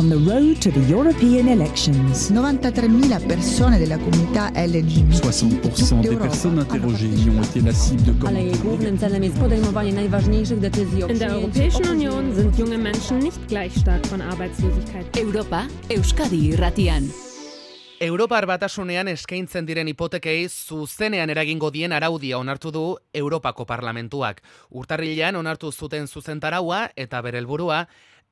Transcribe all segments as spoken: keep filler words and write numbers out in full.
on the road to the European elections. novantatré mila persone della comunità L G B T. soixante pour cent des personnes interrogées y ont été la cible de Ale głównym celem jest podejmowanie najważniejszych decyzji. In der Europäischen Union sind junge Menschen nicht gleich stark von Arbeitslosigkeit. Europa, Euskadi irratian. Europar Batasunean eskaintzen diren hipotekei zuzenean eragingo dien araudia onartu du Europako Parlamentuak. Urtarrilean onartu zuten zuzentaraua eta bere helburua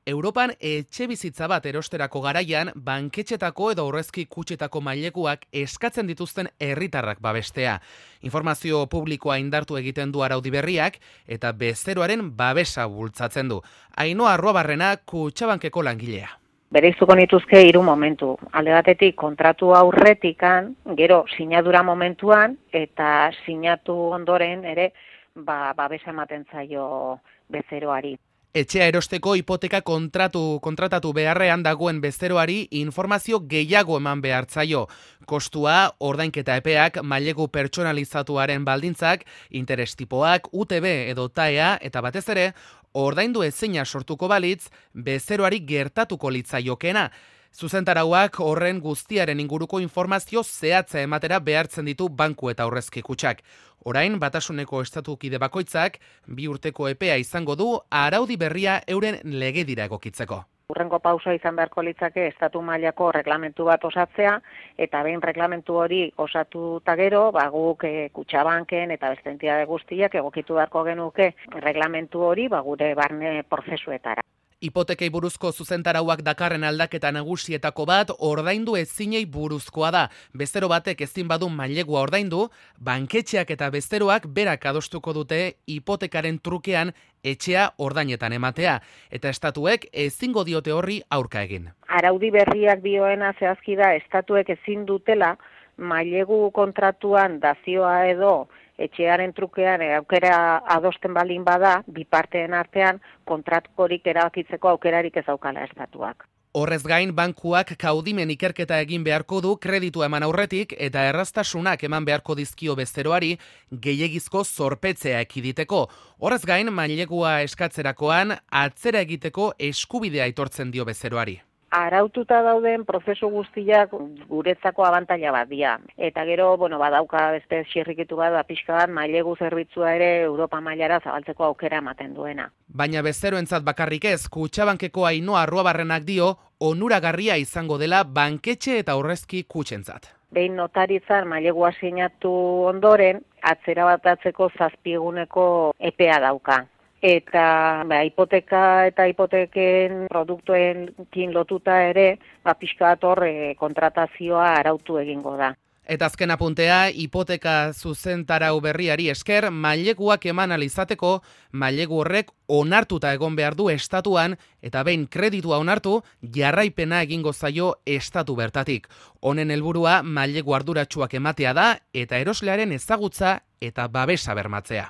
Europan etxebizitza bat erosterako garaian banketxetako edo aurrezki kutxetako mailekuak eskatzen dituzten herritarrak babestea. Informazio publikoa indartu egiten du araudi berriak eta bezeroaren babesa bultzatzen du. Ainhoa Arruabarrena Kutxabankeko langilea. Bereizuko nituzke hiru momentu. Alde batetik kontratu aurretikan, gero sinadura momentuan eta sinatu ondoren ere ba babesa ematen zaio bezeroari. Etxea erosteko hipoteka kontratu kontratatu beharrean dagoen bezeroari informazio gehiago eman behar zaio. Kostua, ordainketa epeak, mailegu pertsonalizatuaren baldintzak, interes tipoak, U T B edo T A E A eta batez ere, ordaindu ezina sortuko balitz, bezeroari gertatuko litzaiokena. Zuzentarauak horren guztiaren inguruko informazio zehatza ematera behartzen ditu banku eta aurrezki kutxak. Orain, Batasuneko estatukide bakoitzak, bi urteko epea izango du araudi berria euren legedira egokitzeko. Urrengo pausoa izan beharko litzake estatu mailako reglamentu bat osatzea, eta behin reglamentu hori osatuta gero, ba, guk e, Kutxabanken eta beste entitate guztiak egokitu beharko genuke reglamentu hori ba, gure barne prozesuetara. Hipotekei buruzko zuzentarauak dakarren aldaketa nagusietako bat ordaindu ezinei buruzkoa da. Bezero batek ezin badu mailegua ordaindu, banketxeak eta bezeroak berak adostuko dute hipotekaren trukean etxea ordainetan ematea, eta estatuek ezingo diote horri aurka egin. Araudi berriak dioena zehazki da estatuek ezin dutela mailegu kontratuan dazioa edo etxearen trukean aukera adosten balin bada, biparteen artean kontratukorik erabakitzeko aukerarik ez daukala estatuak. Horrez gain, bankuak kaudimen ikerketa egin beharko du kreditua eman aurretik eta erraztasunak eman beharko dizkio bezeroari gehiegizko zorpetzea ekiditeko. Horrez gain, mailegua eskatzerakoan atzera egiteko eskubidea aitortzen dio bezeroari. Araututa dauden prozesu guztiak guretzako abantaila bat dira. Eta gero, bueno, badauka beste xirrikitu bat, da pixka bat, mailegu zerbitzua ere Europa mailara zabaltzeko aukera ematen duena. Baina bezeroentzat bakarrik ez, Kutxabankeko Ainhoa Arruabarrenak dio, onuragarria izango dela banketxe eta aurrezki kutxentzat. Behin notaritzan mailegua sinatu ondoren, atzera batatzeko zazpieguneko epea dauka. Eta ba, hipoteka eta hipoteken produktuekin lotuta ere, ba, pixka bat hor e, kontratazioa arautu egingo da. Eta azken apuntea, hipoteka zuzentarau berriari esker, maileguak eman alizateko, mailegu horrek onartuta egon behar du estatuan, eta behin kreditua onartu, jarraipena egingo zaio estatu bertatik. Honen helburua mailegu arduratsuak ematea da, eta eroslearen ezagutza eta babesa bermatzea.